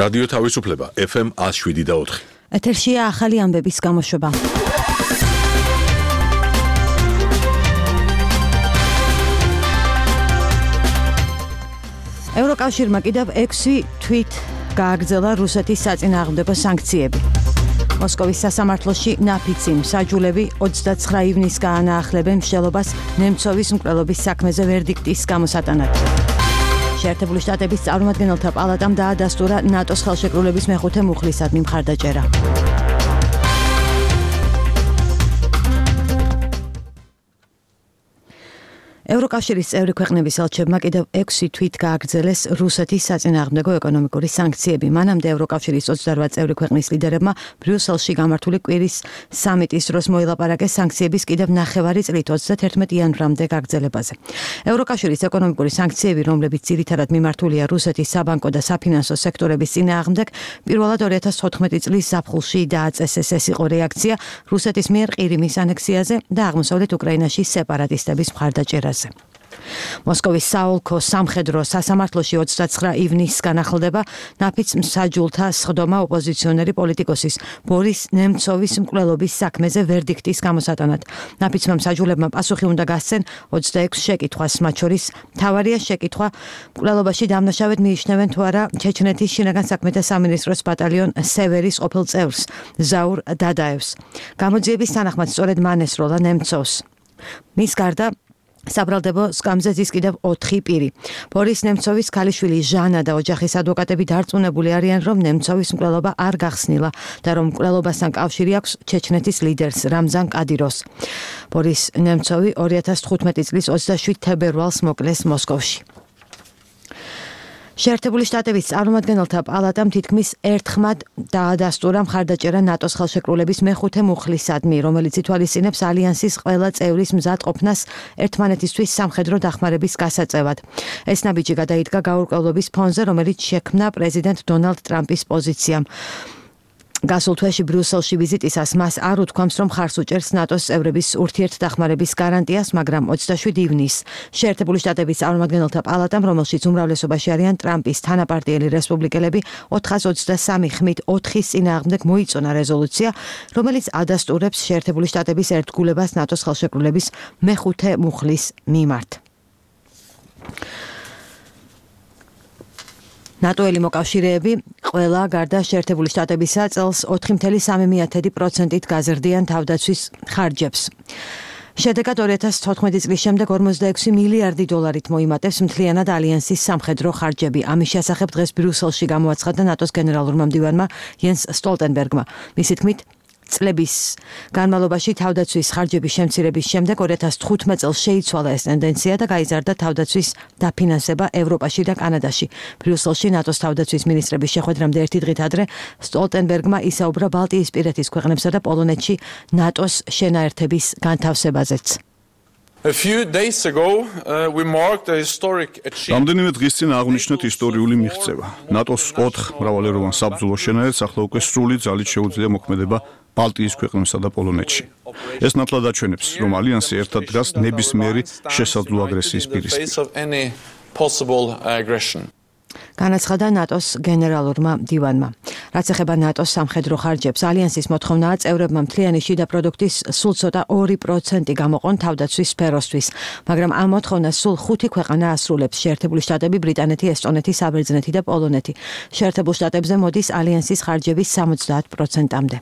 რადიო თავისუფლება FM 107.4. ეთერშია ახალი ამბების გამოშვება. ევროკავშირმა კიდევ 6 თვით გააგრძელა რუსეთის საწინააღმდეგო სანქციები. მოსკოვის სასამართლოში ნაფიცი მსაჯულები 29 ივნისს გაანაახლებენ მშელობას ნემცოვის მკვლელობის საქმეზე ვერდიქტის გამოსატანად. შეერთებული შტატების წარმომადგენელთა პალატამ დაადასტურა ნატოს ხელშეკრულების მეხუთე მუხლისადმი მხარდაჭერა. ევროკავშირის წევრი ქვეყნების ელჩებმა კიდევ 6 თვით გააგრძელეს რუსეთის საწინააღმდეგო ეკონომიკური სანქციები. მანამდე ევროკავშირის 28 წევრი ქვეყნის ლიდერებმა ბრიუსელში გამართული კვირის სამიტის დროს მოილაპარაკეს სანქციების კიდევ 9 წლით 31 იანვრამდე გაგრძელებაზე. ევროკავშირის ეკონომიკური სანქციები, რომლებიც ძირითადად მიმართულია რუსეთის საბანკო და საფინანსო სექტორების წინააღმდეგ, პირველად 2014 წლის ზაფხულში დააწესეს. ეს იყო რეაქცია რუსეთის მიერ ყირიმის ანექსიაზე და აღმოსავლეთ უკრაინაში სეპარატისტების მხარდაჭერაზე. მოსკოვის საოლქო სამხედრო სასამართლოში 29 ივნისს განახლდება ნაფიც მსაჯულთა სხდომა ოპოზიციონერი პოლიტიკოსის ბორის ნემცოვის მკვლელობის საქმეზე ვერდიქტის გამოსატანად. ნაფიცმა მსაჯულებმა პასუხი უნდა გასცენ 26 შეკითხვას, მათ შორის მთავარია შეკითხვა მკვლელობაში დამნაშავედ მიიჩნევენ თუ არა ჩეჩნეთის შინაგან საქმეთა სამინისტროს ბატალიონ სევერის ყოფილ წევრს ზაურ დადაევს. გამოძიების თანახმად სწორედ მან ესროლა ნემცოვს. მის გარდა საბრალდებო სკამზე ზის კიდევ 4 პირი. ბორის ნემცოვის ქალიშვილი ჟანა და ოჯახის ადვოკატები დარწმუნებული არიან, რომ ნემცოვის მკვლელობა არ გახსნილა და რომ მკვლელობასთან კავშირი აქვს ჩეჩნეთის ლიდერს რამზან კადიროს. ბორის ნემცოვი 2015 წლის 27 თებერვალს მოკლეს მოსკოვში. შეერთებული შტატების წარმომადგენელთა პალატამ თითქმის ერთხმად დაადასტურა მხარდაჭერა ნატოს ხელშეკრულების მეხუთე მუხლისადმი, რომელიც ითვალისწინებს ალიანსის ყველა წევრის მზადყოფნას ერთმანეთისთვის სამხედრო დახმარების გასაწევად. ეს ნაბიჯი გადაიდგა გაურკვევლობის ფონზე, რომელიც შექმნა პრეზიდენტ დონალდ ტრამპის პოზიციამ. გასულ თვეში ბრიუსელში ვიზიტისას მას არ უთქვამს, რომ ხარს უჭერს ნატოს წევრების ურთიერთდახმარების გარანტიას, მაგრამ 27 ივნისს შეერთებული შტატების წარმომადგენელთა პალატამ, რომელშიც უმრავლესობაში არიან ტრამპის თანაპარტიელი რესპუბლიკელები, 423 ხმით 4-ის წინააღმდეგ მოიწონა რეზოლუცია, რომელიც ადასტურებს შეერთებული შტატების ერთგულებას ნატოს ხელშეკრულების მეხუთე მუხლის მიმართ. ნატოელი მოკავშირეები ყველა გარდა შეერთებული შტატებისა წელს 4,3%-ით გაზრდიან თავდაცვის ხარჯებს. შედეგად 2014 წლის შემდეგ 46 მილიარდი დოლარით მოიმატებს მთლიანად ალიანსის სამხედრო ხარჯები. ამის შესახებ დღეს ბრიუსელში გამოაცხადა ნატოს გენერალურმა მდივანმა იენს სტოლტენბერგმა. მისი თქმით, წლების განმავლობაში თავდაცვის ხარჯების შემცირების შემდეგ 2015 წელს შეიცვალა ეს ტენდენცია და გაიზარდა თავდაცვის დაფინანსება ევროპაში და კანადაში. ბრიუსელში ნატოს თავდაცვის მინისტრების შეხვედრამდე ერთი დღით ადრე სტოლტენბერგმა ისაუბრა ბალტიისპირეთის ქვეყნებსა და პოლონეთში ნატოს შენაერთების განთავსებაზეც. რამდენიმე დღის წინ აღვნიშნეთ ისტორიული მიღწევა. ნატოს 4 მრავალეროვან საბრძოლო შენაერთს ახლა უკვე სრული ძალით შეუძლია მოქმედება ბალტიის ქვეყნებსა და პოლონეთში. ეს ნათლად აჩვენებს, რომ ალიანსი ერთად დგას ნებისმიერი შესაძლო აგრესიის პირისპირ. განაცხადა ნატოს გენერალურმა მდივანმა. რაც ეხება ნატოს სამხედრო ხარჯებს, ალიანსის მოთხოვნაა წევრებმა მთლიანი შიდა პროდუქტის სულ ცოტა 2% გამოყონ თავდაცვის სფეროსთვის, მაგრამ ამ მოთხოვნას სულ 5 ქვეყანა ასრულებს: შეერთებული შტატები, ბრიტანეთი, ესტონეთი, საბერძნეთი და პოლონეთი. შეერთებულ შტატებზე მოდის ალიანსის ხარჯების 70%-მდე.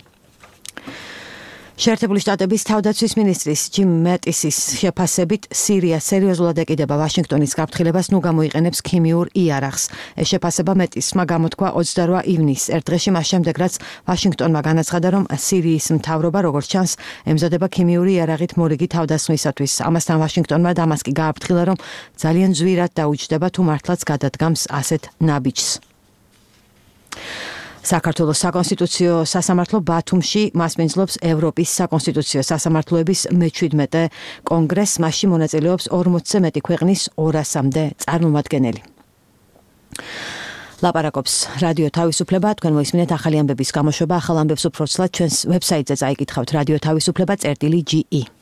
შეერთებული შტატების თავდაცვის მინისტრის ჯიმ მეტისის შეფასებით სირია სერიოზულად ეკიდება ვაშინგტონის გაფრთხილებას, ნუ გამოიყენებს ქიმიურ იარაღს. ეს შეფასება მეტისმა გამოთქვა 28 ივნისს, ერთ დღეში მას შემდეგ, რაც ვაშინგტონმა განაცხადა, რომ სირიის მთავრობა, როგორც ჩანს, ემზადება ქიმიური იარაღით მორიგი თავდასხმისათვის. ამასთან ვაშინგტონმა დამასკი გააფრთხილა, რომ ძალიან ძვირად დაუჯდება თუ მართლაც გადადგამს ასეთ ნაბიჯს. საქართველოს საკონსტიტუციო სასამართლო ბათუმში მასპინძლობს ევროპის საკონსტიტუციო სასამართლოების მე-17 კონგრესს, მასში მონაწილეობს 40-ზე მეტი ქვეყნის 200-მდე წარმომადგენელი. ლაპარაკობს რადიო თავისუფლება, თქვენ მოისმინეთ ახალი ამბების გამოშვება, ახალ ამბებს უფრო ცლად ჩვენს ვებსაიტზე წაიკითხავთ radiotavisufleba.ge